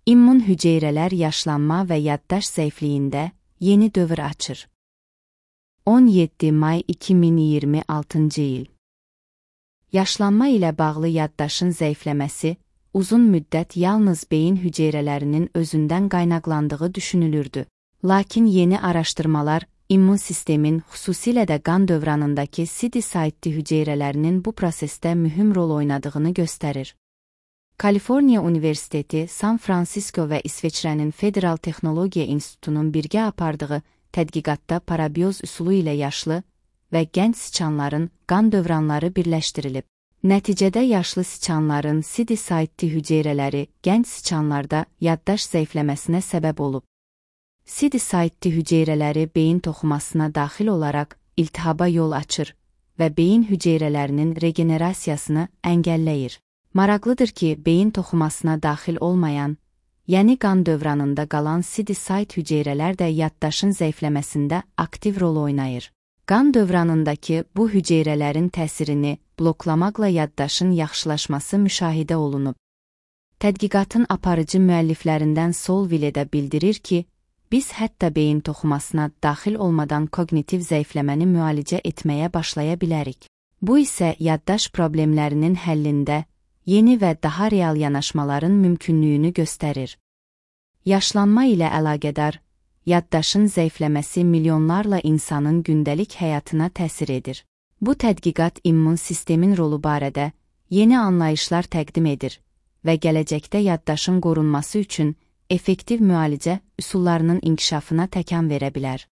İmmun hüceyrələr yaşlanma və yaddaş zəifliyində yeni dövr açır. 17 may 2026-cı il. Yaşlanma ilə bağlı yaddaşın zəifləməsi, uzun müddət yalnız beyin hüceyrələrinin özündən qaynaqlandığı düşünülürdü. Lakin yeni araşdırmalar, immun sistemin, xüsusilə də qan dövranındakı CD-saitli hüceyrələrinin bu prosesdə mühüm rol oynadığını göstərir. Kaliforniya Universiteti, San Fransisko və İsveçrənin Federal Texnologiya İnstitutunun birgə apardığı tədqiqatda parabioz üsulu ilə yaşlı və gənc siçanların qan dövranları birləşdirilib. Nəticədə yaşlı siçanların CD-saitli hüceyrələri gənc siçanlarda yaddaş zəifləməsinə səbəb olub. CD-saitli hüceyrələri beyin toxumasına daxil olaraq iltihaba yol açır və beyin hüceyrələrinin regenerasiyasını əngəlləyir. Maraqlıdır ki, beyin toxumasına daxil olmayan, yəni qan dövranında qalan CD-sait hüceyrələr də yaddaşın zəifləməsində aktiv rol oynayır. Qan dövranındakı bu hüceyrələrin təsirini bloklamaqla yaddaşın yaxşılaşması müşahidə olunub. Tədqiqatın aparıcı müəlliflərindən Solville də bildirir ki, biz hətta beyin toxumasına daxil olmadan koqnitiv zəifləməni müalicə etməyə başlaya bilərik. Bu isə yaddaş problemlərinin həllində yeni və daha real yanaşmaların mümkünlüyünü göstərir. Yaşlanma ilə əlaqədar, yaddaşın zəifləməsi milyonlarla insanın gündəlik həyatına təsir edir. Bu tədqiqat immun sistemin rolu barədə yeni anlayışlar təqdim edir və gələcəkdə yaddaşın qorunması üçün effektiv müalicə üsullarının inkişafına təkan verə bilər.